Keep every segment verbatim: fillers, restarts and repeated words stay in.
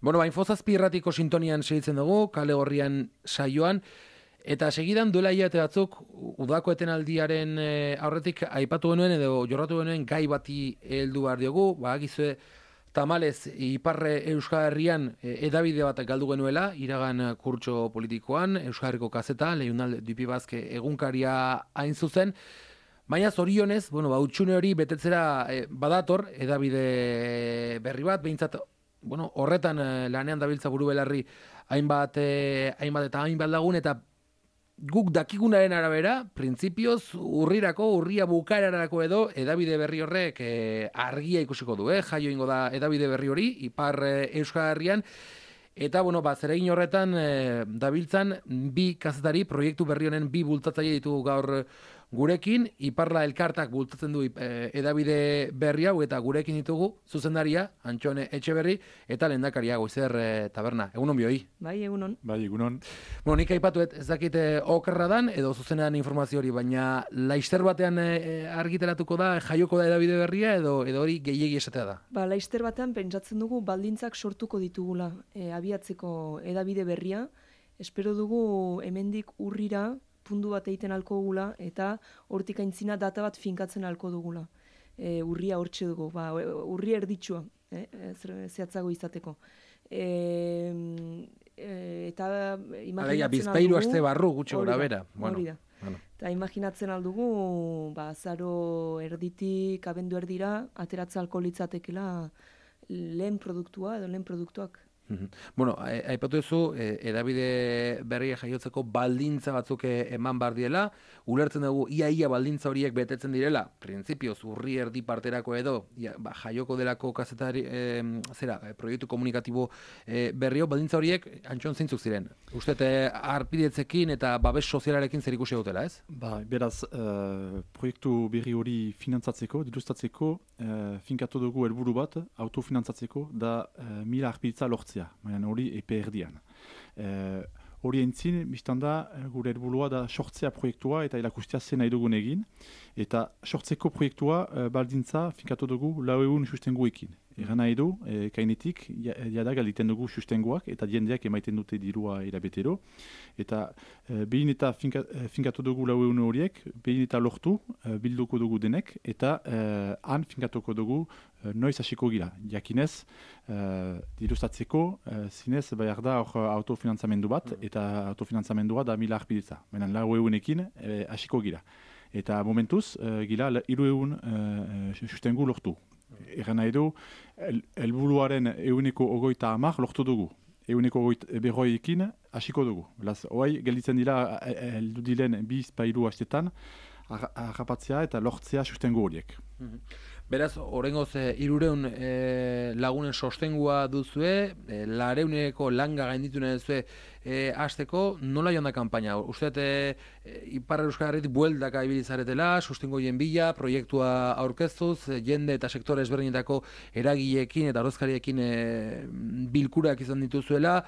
Bueno, ba, Infozazpi irratiko sintonian segitzen dugu, kale horrian saioan, eta segidan duela hilabete batzuk, udako etenaldiaren e, aurretik aipatu genuen edo jorratu genuen gai bati heldu behar diogu, ba, gizue, tamalez, Iparre Euskal Herrian e, edabide bat galdu genuela, iragan kurtso politikoan, Euskal Herriko kazeta, Leunal Dupi Bazke egunkaria hain zuzen, baina zorionez, bueno, ba, utxune hori betetzera e, badator, edabide berri bat, behintzat, bueno, horretan eh, lanean dabiltza buru belarri hainbat, eh, hainbat eta hainbat lagun, eta guk dakigunaren arabera, printzipioz urrirako, urria bukaerarako edo, edabide berri horrek eh, argia ikusiko du, eh? Jaio ingo da edabide berri hori, Ipar eh, Euskal Herrian, eta, bueno, ba, zeregin horretan eh, dabiltzan bi kazetari, proiektu berri honen bi bultzatzaile ditugu gaur gurekin, Iparla Elkartak bultzatzen du e, edabide berri hau, eta gurekin ditugu zuzendaria, Antxone Etxeberri, eta lehendakaria Goizer e, Taberna. Egunon bioi? Bai, egunon. Bai, egunon. Bueno, nik aipatu ez dakite okerra dan, edo zuzenean informazio hori, baina laister batean e, argiteratuko da, jaioko da edabide berria, edo edo hori gehiegi esatea da? Ba, laister batean pentsatzen dugu baldintzak sortuko ditugula e, abiatzeko edabide berria. Espero dugu hemendik urrira, pundu bat egiten alko dugula, eta hortik aintzina data bat finkatzen alko dugula. E, urria hortxe dugu, ba, urria erditsua, eh, zehatzago izateko. E, e, eta imaginatzen Aleia, bizpairu aste barru gutxo gora bera. Bueno, hori da. Bueno. Eta imaginatzen aldugu, ba, zaro erditik, abendu erdira, ateratza alko litzatekela lehen produktua edo lehen produktuak. Bueno, aipatu duzu, edabide berria jaiotzeko baldintza batzuk eman bar diela, ulertzen dugu ia-ia baldintza horiek betetzen direla, printzipioz urri erdi parterako edo, ia, ba, jaioko delako kazetari, e, zera, proiektu komunikatibo e, berrio, baldintza horiek Antxon zeintzuk ziren. Uste, arpidetzekin eta babes sozialarekin zer ikusi dutela, ez? Ba, beraz, uh, proiektu berri hori finantzatzeko, dirustatzeko, uh, finkatu dugu helburu bat, autofinantzatzeko, da uh, mila arpidetza lortzea. Baina hori epe erdian. Hori e, entzin, biztan da, gure helburua da sortzea proiektua eta erakustea zen nahi dugun egin. Eta sortzeko proiektua e, baldintza finkatu dugu lau egun sustenguekin. Egan nahi du, e, kainetik, jada galditen dugu sustenguak eta jendeak emaiten dute dirua erabetero. Eta e, behin eta finka, e, finkatu dugu lau egun horiek, behin eta lortu, e, bilduko dugu denek, eta e, han finkatuko dugu e, noiz hasiko gira. Jakinez, e, dirustatzeko, e, zinez, behar da hor autofinantzamendu bat, eta autofinantzamendua da mila arpidetza. Benen lau egunekin e, hasiko gira. Eta momentuz, e, gira, hiru egun e, sustengu lortu. Egan nahi du, helburuaren eguneko ogoita hamar lortu dugu. Eguneko berroiekin hasiko dugu. Beraz, oai, gelditzen dira, heldu diren bi izpairu hastetan, harrapatzea eta lortzea sustengu horiek. Beraz, horrengoz, hirureun e, lagunen sostengua duzue, e, lareuneko langa gainditu nahi duzue e, hasteko, nola joan da kanpaina? Uste, e, Ipar Euskal Herritik bueltaka ibilizaretela, sustengo hien bila, proiektua aurkeztuz, jende eta sektore ezberdinetako eragileekin eta ordezkariekin e, bilkurak izan dituzuela,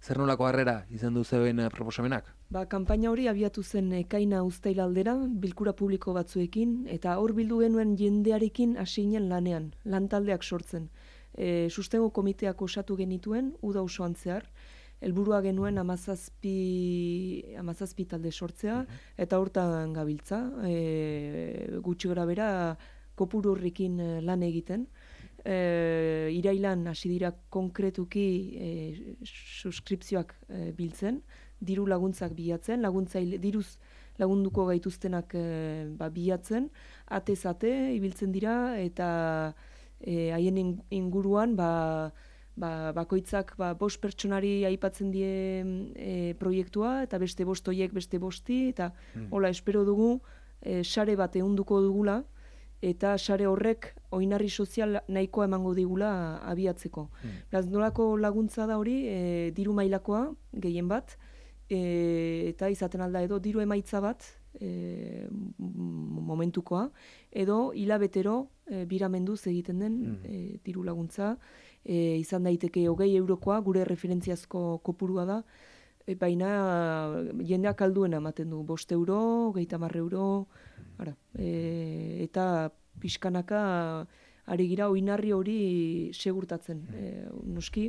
zer nolako harrera izan duzuen proposamenak? Ba, kanpaina hori abiatu zen ekaina uztail aldera, bilkura publiko batzuekin, eta hor bildu genuen jendearekin hasi ginen lanean, lantaldeak sortzen. E, sustengo komiteak osatu genituen, uda osoan zehar, helburua genuen amazazpi, amazazpi talde sortzea, eta hortan gabiltza, e, gutxi gara bera, kopuru horrekin lan egiten. E, irailan hasi dira konkretuki e, suskripzioak e, biltzen, diru laguntzak bilatzen, laguntzaile, diruz lagunduko gaituztenak e, ba, bilatzen, atez-ate ibiltzen dira, eta haien e, inguruan ba, ba, bakoitzak ba, bost pertsonari aipatzen die e, proiektua, eta beste bost hoiek beste bosti, eta mm. hola, espero dugu, e, sare bat ehunduko dugula, eta sare horrek oinarri sozial nahikoa emango digula abiatzeko. Mm. Beraz, nolako laguntza da hori, e, diru mailakoa, gehien bat, e, eta izaten alda edo diru emaitza bat, e, momentukoa, edo hilabetero e, biramenduz egiten den mm. e, diru laguntza, e, izan daiteke hogei eurokoa, gure referentziazko kopurua da, e, baina jendeak alduena ematen du, bost euro, hogeita hamar euro, ara, e, eta pixkanaka ari gira oinarri hori segurtatzen. E, noski,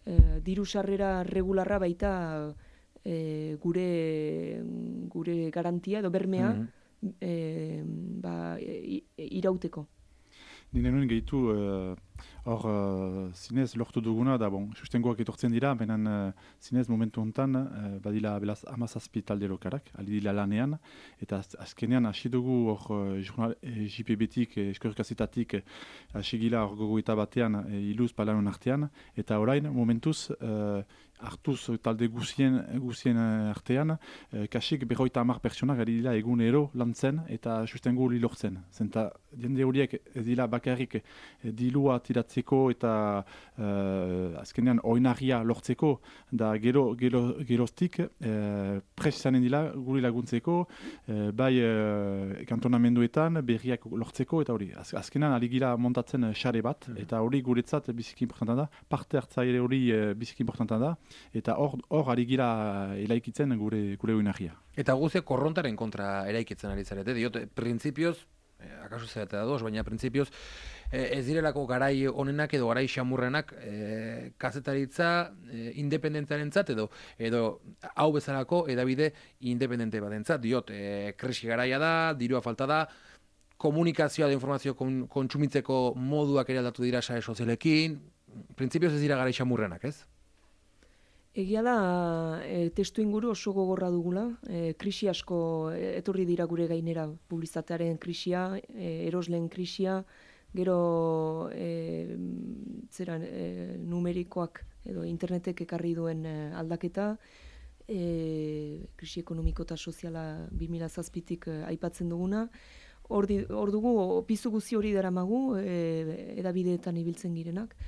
e, diru sarrera regularra baita e, gure gure garantia edo bermea mm-hmm. e, ba, e, irauteko. Nire nuen gehitu, hor uh, uh, zinez lortu duguna, da bon, sustengoak etortzen dira, benen uh, zinez momentu honetan, uh, badila belaz amazazpi talde lokarak, ali dila lanean, eta az, azkenean hasi dugu hor uh, jurnal, eh, J P B-tik, eh, eskorkazetatik, hasi eh, gila hor gogoeta batean, eh, iluz palanon artean, eta orain momentuz, uh, hartuz talde guzien, guzien artean, eh, kasik berroita hamar pertsonak ari dira egunero lantzen eta sustengo hori lortzen. Zenta jende horiek ez dira bakarrik eh, dilua tiratzeko eta eh, azkenean oinarria lortzeko, da gero, gero, geroztik eh, pres izanen dira guri laguntzeko, eh, bai eh, kantonamenduetan berriak lortzeko eta hori. Az, azkenean ari gira montatzen xare bat, eta hori guretzat biziki importanta da, parte hartzaile hori eh, biziki importanta da, eta hor hor ari gira eraikitzen gure gure oinarria. Eta guztiak korrontaren kontra eraikitzen ari zarete. Diot, printzipioz, eh, akaso zeratea da doz, baina printzipioz eh, ez direlako garai honenak edo garai xamurrenak eh, kazetaritza eh, independentziarentzat edo edo hau bezalako edabide independente batentzat. Diot, eh, krisi garaia da, dirua falta da, komunikazioa da informazio kon, kontsumitzeko moduak ere aldatu dira sare sozialekin, printzipioz ez dira garai xamurrenak, ez? Egia da, e, testu inguru oso gogorra dugula, e, krisi asko etorri dira gure gainera, publizitatearen krisia, e, erosleen krisia, gero e, zeran, e, numerikoak edo internetek ekarri duen e, aldaketa, e, krisi ekonomiko eta soziala bi mila zazpitik e, aipatzen duguna, hor, di, hor dugu, pizu guzi hori daramagu, e, edabideetan ibiltzen girenak.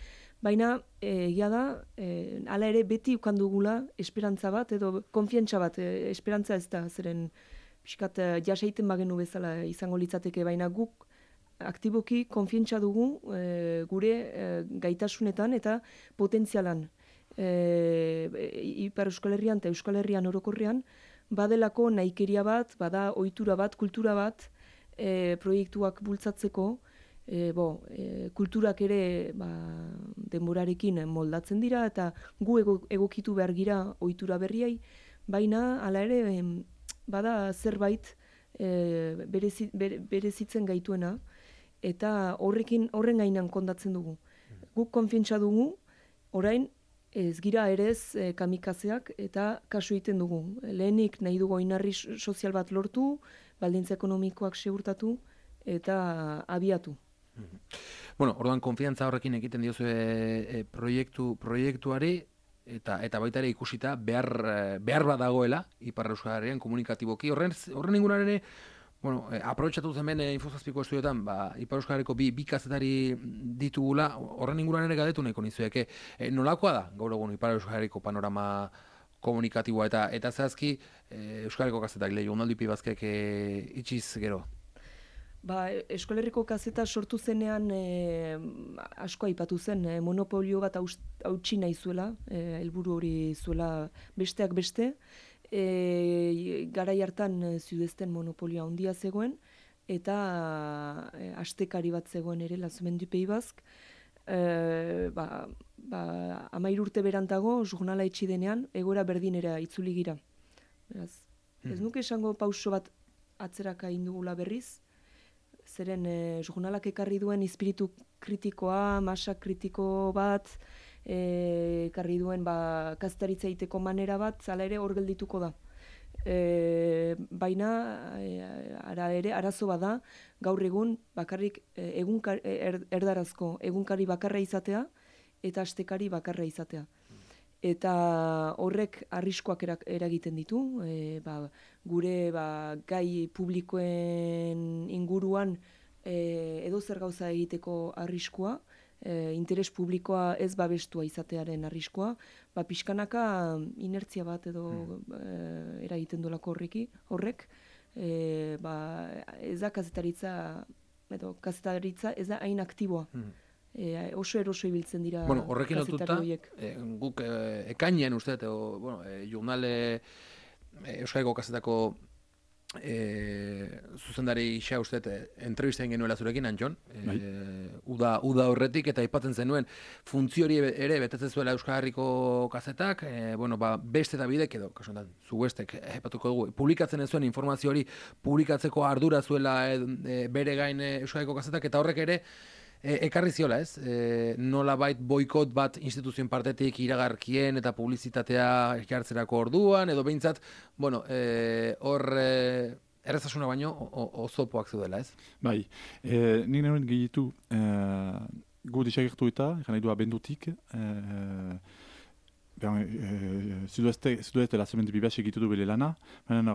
Baina, egia da, e, hala ere beti ukan dugula esperantza bat, edo konfiantza bat, e, esperantza ez da, zeren pixkat jasaiten bagenu bezala izango litzateke, baina guk aktiboki konfiantza dugu e, gure e, gaitasunetan eta potentzialan. E, Ipar Euskal Herrian eta Euskal Herrian orokorrean, badelako nahikeria bat, bada ohitura bat, kultura bat, e, proiektuak bultzatzeko, E, bo, e, kulturak ere ba, denborarekin moldatzen dira eta gu ego, egokitu behar gira ohitura berriai, baina hala ere em, bada zerbait e, berezi, bere, berezitzen gaituena eta horrekin horren gainan kondatzen dugu. Guk konfiantza dugu, orain ez gira ere ez e, kamikazeak eta kasu egiten dugu. Lehenik nahi dugu oinarri sozial bat lortu, baldintza ekonomikoak segurtatu eta abiatu. Bueno, orduan konfiantza horrekin egiten diozu e, e, proiektu, proiektuari eta eta baita ere ikusita behar, behar bat dagoela Ipar Euskal Herrian komunikatiboki. Horren, horren inguruan ere, bueno, e, aprobetxatu zen ben e, Infozazpiko estudioetan, ba, Ipar Euskal Herriko bi, bi kazetari ditugula, horren inguruan ere gadetu nahiko nizueke. E, nolakoa da, gaur egun Ipar Euskal Herriko panorama komunikatiboa eta eta zehazki e, Euskal Herriko kazetak lehi, ondaldi pibazkek e, itxiz gero. Ba, Euskal Herriko kazeta sortu zenean e, asko aipatu zen, e, monopolio bat hautsi nahi zuela, e, helburu hori zuela besteak beste, e, garai hartan Zudezten monopolioa handia zegoen, eta e, astekari bat zegoen ere, Lazumendu Pei Bazk, e, ba, ba, amairu urte berantago, jurnala etxi denean, egoera berdinera itzuli gira. Beraz, hmm. Ez nuke esango pauso bat atzeraka indugula berriz, zeren e, jurnalak ekarri duen espiritu kritikoa, masa kritiko bat, e, ekarri duen ba, kazetaritza egiteko manera bat, zala ere hor geldituko da. E, baina, e, ara ere, arazo bada, gaur egun bakarrik e, egunkar, er, erdarazko egunkari bakarra izatea eta astekari bakarra izatea. Eta horrek arriskoak eragiten ditu, e, ba, gure ba, gai publikoen inguruan e, edozer gauza egiteko arriskua, e, interes publikoa ez babestua izatearen arriskua, ba, pixkanaka inertzia bat edo hmm. e, eragiten duelako horreki, horrek, e, ba, ez da kazetaritza, edo kazetaritza ez da hain aktiboa. Hmm. E, oso eroso ibiltzen dira bueno, horrekin lotuta, e, guk e, ekainean uste, o, bueno, e, jurnal e, Euskal Herriko kazetako E, zuzendari isa uste entrevisten genuela zurekin, Antxon, e, uda, uda horretik, eta aipatzen zenuen funtzio hori ere betetzen zuela Euskal Herriko kazetak, e, bueno, ba, beste eta bidek edo, kasuan, zu bestek, aipatuko dugu, publikatzen ez zuen informazio hori publikatzeko ardura zuela e, e, bere gain Euskal Herriko kazetak, eta horrek ere E, ekarri ziola, ez? E, nola bait boikot bat instituzioen partetik iragarkien eta publizitatea ekartzerako orduan, edo behintzat, bueno, e, hor e, errezasuna baino ozopoak zudela, ez? Bai, e, nik nuen gehitu, e, gu desagertu eta, eran nahi du abendutik, e, Zudueste la semente bibes egitu du bere lana, baina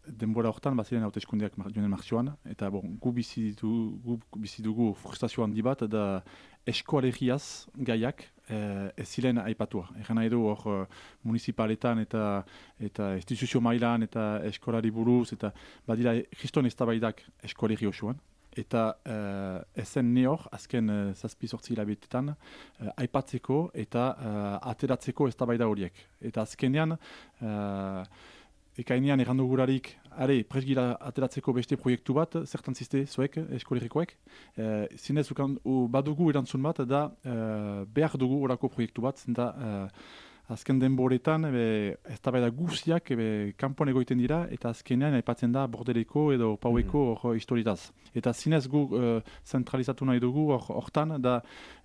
denbora hortan baziren hauteskundeak joanen martxoan, eta bon, gu bizi dugu frustrazio handi bat, da eskoalegiaz gaiak eh, ez ziren aipatua. Egan nahi du hor municipaletan eta eta instituzio mailan eta eskolari buruz, eta badira kriston eztabaidak eskoalegi osoan. Eta uh, ezen ne hor, azken uh, zazpi sortzi hilabetetan, uh, aipatzeko eta uh, ateratzeko eztabaida horiek. Eta azkenean, uh, ekainean errandugurarik, are, presgira ateratzeko beste proiektu bat, zertan ziste zuek, eskolerikoek. Uh, zinez, ukan, u, badugu erantzun bat, da uh, behar dugu orako proiektu bat, zenta uh, azken denboretan, eztabaida guziak kanpoan egoiten dira, eta azkenean aipatzen da bordeleko edo paueko hor mm. historitaz. Eta zinez gu uh, zentralizatu nahi dugu hortan, da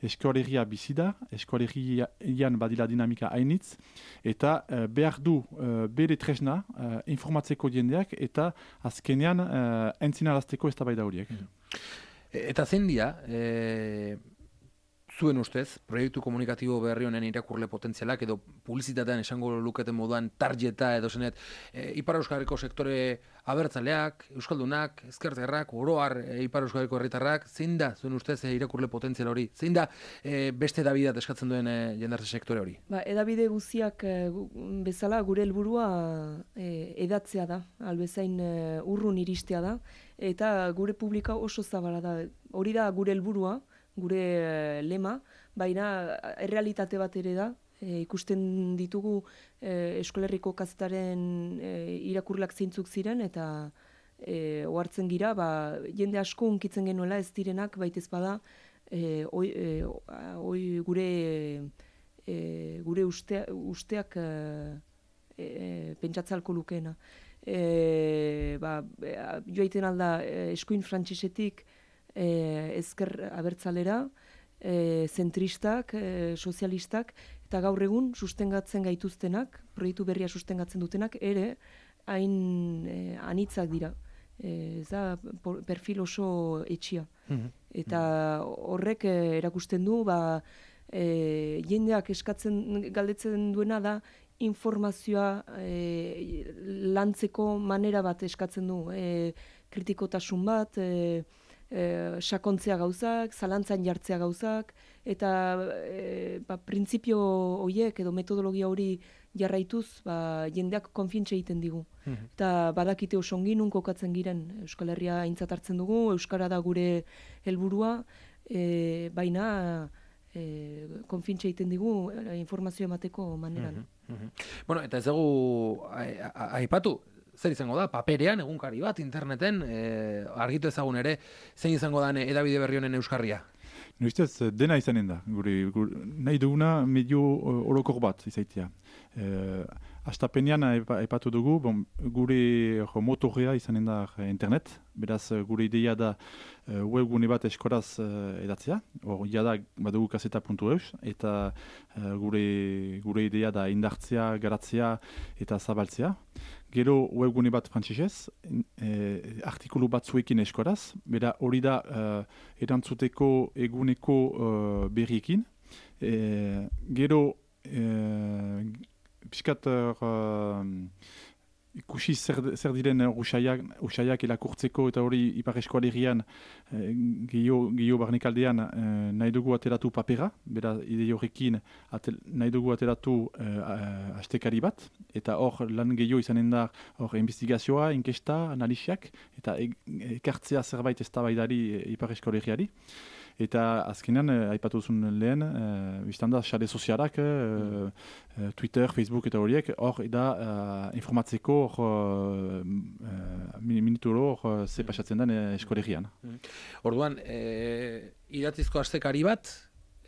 eskoalegia bizi da, eskoalegian badila dinamika hainitz, eta uh, behar du uh, bere tresna uh, informatzeko jendeak, eta azkenean uh, entzinarazteko eztabaida horiek. Mm. Eta zein dira, e... zuen ustez, proiektu komunikatibo berri honen irakurle potentzialak edo publizitatean esango luketen moduan tarjeta edo zenet, e, Ipar Euskal Herriko sektore abertzaleak, euskaldunak, ezkerterrak, oroar e, Ipar Euskal Herriko herritarrak, zein da zuen ustez e, irakurle potentzial hori? Zein da e, beste edabideat eskatzen duen e, jendartze sektore hori? Ba, edabide guziak e, bezala gure helburua e, edatzea da, albezain e, urrun iristea da, eta gure publika oso zabala da. Hori da gure helburua, gure e, lema, baina errealitate bat ere da, e, ikusten ditugu e, Eskolerriko kazetaren e, irakurlak zeintzuk ziren, eta e, ohartzen gira, ba, jende asko unkitzen genuela ez direnak, baitez bada, e, oi, e, oi, gure, e, gure ustea, usteak e, e, pentsatzalko lukeena. E, ba, joaiten alda eskuin frantzisetik, E, ezker abertzalera, e, zentristak, e, sozialistak, eta gaur egun sustengatzen gaituztenak, proiektu berria sustengatzen dutenak, ere hain e, anitzak dira. E, ez da perfil oso etxia. Mm-hmm. Eta horrek e, erakusten du, ba, e, jendeak eskatzen galdetzen duena da, informazioa e, lantzeko manera bat eskatzen du, e, kritikotasun bat, e, E, sakontzea gauzak, zalantzan jartzea gauzak, eta e, ba, printzipio horiek edo metodologia hori jarraituz, ba, jendeak konfientxe egiten digu. Mm-hmm. Eta badakite oso ongi nun kokatzen giren, Euskal Herria aintzat hartzen dugu, Euskara da gure helburua, e, baina e, konfientxe egiten digu e, informazio emateko maneran. Mm-hmm. Mm-hmm. Bueno, eta ez dugu aipatu, zer izango da, paperean, egunkari bat, interneten, e, argitu ezagun ere, zein izango da edabide berri honen euskarria? Noiztez, dena izanen da, gure, gure, nahi duguna medio orokor bat izaitia. E, Astapenean aipatu dugu, bon, gure motorea izanen da internet, beraz gure ideia da uh, webgune bat eskoraz uh, edatzea, hor jada badugu kaseta puntu eus, eta uh, gure, gure ideia da indartzea, garatzea eta zabaltzea. Gero webgune bat frantsesez, eh, artikulu batzuekin eskoraz, bera hori da uh, erantzuteko eguneko uh, berriekin. E, gero eh, piskat uh, ikusi zer, zer diren usaiak, usaiak elakurtzeko eta hori Ipar Eskoalerian eh, gehiago barnekaldean eh, nahi dugu ateratu papera, bera ide horrekin atel, nahi dugu ateratu eh, astekari bat, eta hor lan gehiago izanen da hor investigazioa, inkesta, analisiak, eta ekartzea zerbait eztabaidari Ipar Eskoaleriari. Eta azkenean, eh, aipatu zuen lehen, eh, biztan da, sare sozialak, eh, Twitter, Facebook eta horiek, hor da uh, informatzeko hor uh, uh, minuturo hor uh, ze pasatzen den uh, eskolegian. Orduan, e, idatzizko astekari bat,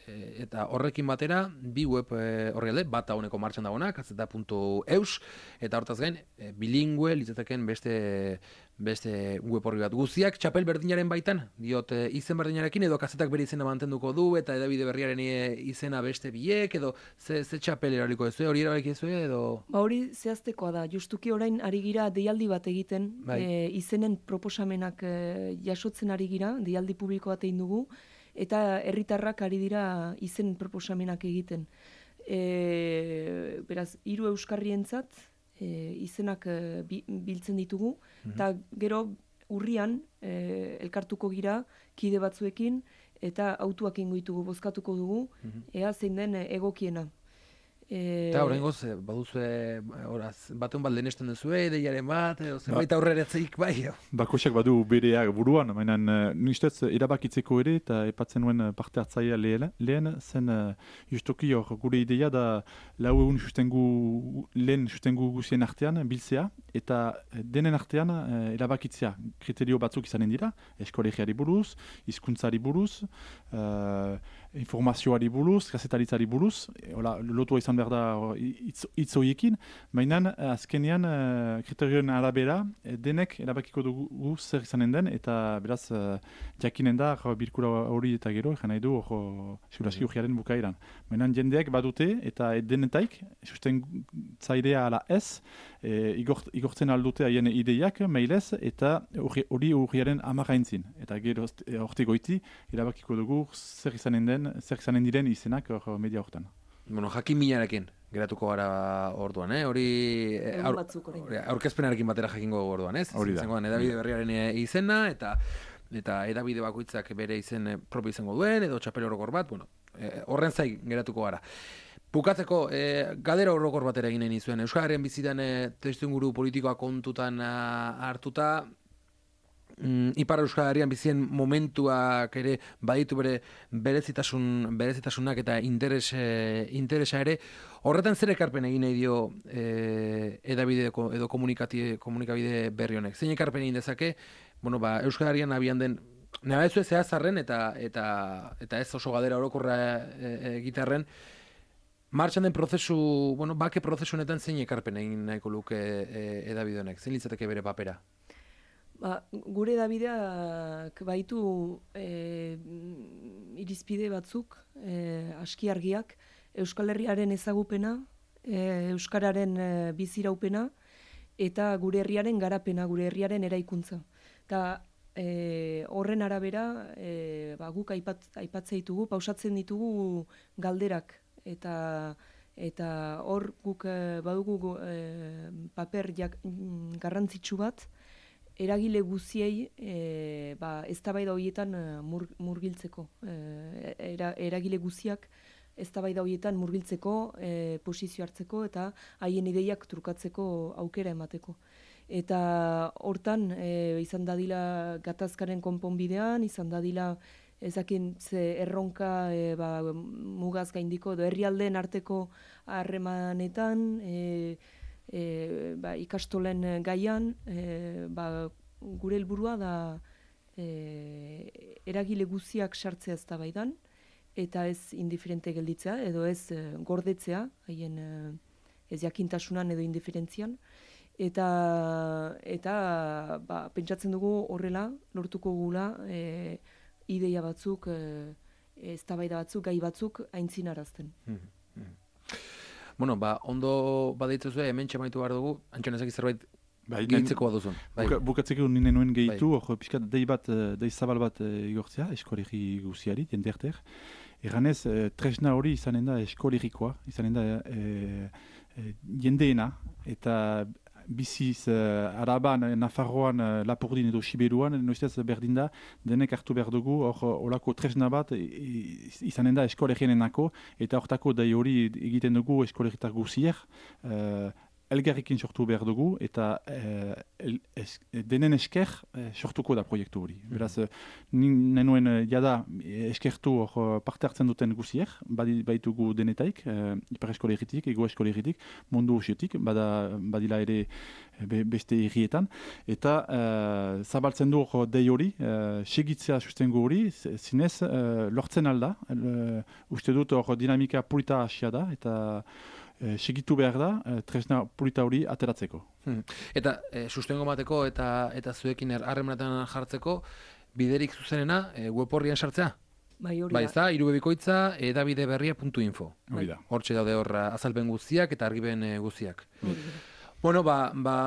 eta horrekin batera bi web e, orrialde, bat dauneko martxan dagoena, kazeta puntu eus, eta hortaz gain, e, bilingüe litzateken beste beste web orri bat. Guztiak txapel berdinaren baitan, diot e, izen berdinarekin, edo kazetak bere izena mantenduko du, eta edabide berriaren e, izena beste biek, edo ze, ze txapel eraliko ez hori erabaki ez edo... Ba hori zehaztekoa da, justuki orain ari gira deialdi bat egiten, bai. e, izenen proposamenak e, jasotzen ari gira, deialdi publiko bat egin dugu, eta herritarrak ari dira izen proposamenak egiten. E, beraz, hiru euskarrientzat e, izenak e, bi, biltzen ditugu, eta mm-hmm. gero urrian e, elkartuko gira kide batzuekin, eta autuak ingo ditugu, bozkatuko dugu, mm-hmm. ea zein den egokiena. Eta horrengoz, baduzue, horaz, batean bat lehenesten duzue, ideiaren bat, edo zenbait aurreratzeik bai. Bakoisak badu bereak buruan, mainan nustez erabakitzeko ere, eta epatzen nuen parte hartzaia lehen, lehen zen justoki hor gure ideia da lau egun sustengu, lehen sustengu guzien artean biltzea, eta denen artean erabakitzea kriterio batzuk izanen dira, eskolegiari buruz, hizkuntzari buruz, uh, informazioari buruz, kazetaritzari buruz, hola, lotua izan behar da hitz horiekin, baina azkenean uh, kriterioen arabera denek erabakiko dugu zer izanen den, eta beraz uh, jakinen da bilkura hori eta gero, egin nahi du hor segurazki urriaren bukaeran. Baina jendeak badute eta denetaik, susten zaidea ala ez, e, igort, igortzen aldute haien ideiak, mailez, eta hori urriaren amaraintzin. Eta gero horti goiti, erabakiko dugu zer izanen den, zer izanen diren izenak hor media hortan. Bueno, jakin minarekin geratuko gara orduan, eh? Hori aur, aurkezpenarekin batera jakingo orduan, ez? Hori da. Zengoan edabide berriaren izena, eta eta edabide bakoitzak bere izen propio izango duen, edo txapel orokor bat, bueno, horren zai geratuko gara. Bukatzeko, e, gadera orokor batera eginen izuen, Euskararen bizitan e, testuinguru politikoa kontutan a, hartuta, Mm, Ipar Euskal Herrian bizien momentuak ere baditu bere berezitasun, berezitasunak eta interes, e, interesa ere. Horretan zer ekarpen egin nahi dio e, edabide edo komunikabide berri honek? Zein ekarpen egin dezake, bueno, ba, Euskal Herrian abian den, nahi ez zehazarren eta, eta, eta ez oso gadera orokorra egitarren, martxan den prozesu, bueno, bake prozesu honetan zein ekarpen egin nahiko luke e, edabide honek? Zein litzateke bere papera? Ba, gure edabideak baitu e, irizpide batzuk, e, aski argiak, Euskal Herriaren ezagupena, e, Euskararen e, biziraupena, eta gure herriaren garapena, gure herriaren eraikuntza. Eta e, horren arabera, e, ba, guk aipat, aipatzea ditugu, pausatzen ditugu galderak, eta eta hor guk e, badugu e, paper jak, garrantzitsu bat, eragile guziei e, ba, eztabaida horietan mur, murgiltzeko. E, era, eragile guziak eztabaida horietan murgiltzeko, e, posizio hartzeko eta haien ideiak trukatzeko aukera emateko. Eta hortan e, izan dadila gatazkaren konponbidean, izan dadila ezakin ze erronka e, ba, mugaz gaindiko edo herrialdeen arteko harremanetan, e, E, ba, ikastolen gaian, e, ba, gure helburua da e, eragile guziak sartzea eztabaidan eta ez indiferente gelditzea edo ez e, gordetzea, haien e, ez jakintasunan edo indiferentzian. Eta, eta ba, pentsatzen dugu horrela lortuko gula e, ideia batzuk, e, eztabaida batzuk, gai batzuk aintzinarazten. Mm-hmm. Bueno, ba, ondo badeitzuzue, hemen txamaitu behar dugu, Antxon ezak zerbait bai, gehitzeko baduzun. Bai. Buka, bukatzeko nire nuen gehitu, bai. Hor pixkat dei bat, dei zabal bat igortzea, eskolegi guziari, jenderter. Eganez, tresna hori izanen da eskolegikoa, izanen da e, e, jendeena, eta biziz uh, Araban, Nafarroan, uh, Lapurdin edo Siberuan, noiztez berdin da, denek hartu behar dugu, hor olako tresna bat izanen da eskolegienenako, eta hortako dai hori egiten dugu eskolegitar guzier, uh, elgarrikin sortu behar dugu, eta eh, el, es, denen esker eh, sortuko da proiektu hori. Beraz, nin nenuen eh, jada eskertu hor parte hartzen duten guziek, badi, baitugu denetaik, eh, ipar eskolegitik, ego eskolegitik, mundu usiotik, bada, badila ere be, beste irrietan, eta eh, zabaltzen du hor dei hori, eh, segitzea sustengo hori, zinez eh, lortzen alda, eh, uste dut hor dinamika polita hasia da, eta E, segitu behar da, e, tresna polita hori ateratzeko. Hmm. Eta e, sustengo mateko eta eta zuekin harremanetan jartzeko, biderik zuzenena e, web horrian sartzea? Bai, hori Bai, ez da, irubebikoitza edabideberria puntu info. Hori da. Hortxe daude hor azalpen guztiak eta argiben e, guztiak. Bueno, ba, ba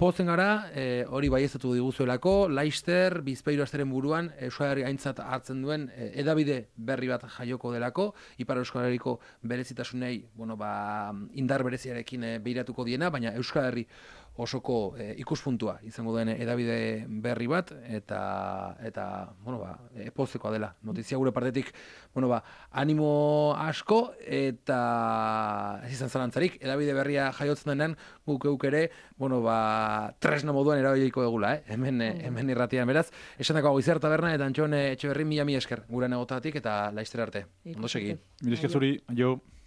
pozen gara, e, hori baieztatu diguzuelako, Laister, Bizpahiru asteren buruan, Euskal Herria aintzat hartzen duen e, edabide berri bat jaioko delako, Ipar Euskal Herriko berezitasunei, bueno, ba, indar bereziarekin e, behiratuko diena, baina Euskal Herri osoko e, ikuspuntua izango den edabide berri bat, eta, eta bueno, ba, e, pozekoa dela. Notizia gure partetik, bueno, ba, animo asko, eta ez izan zalantzarik, edabide berria jaiotzen denean, guk euk ere, bueno, ba, tresna moduan erabiliko dugula, eh? hemen, mm. hemen irratian, beraz, esan dago Goizer Taberna, eta Antxon Etxeberri mila mi esker, gure negotatik, eta Laister arte. Ondo segi. Mila esker zuri, jo.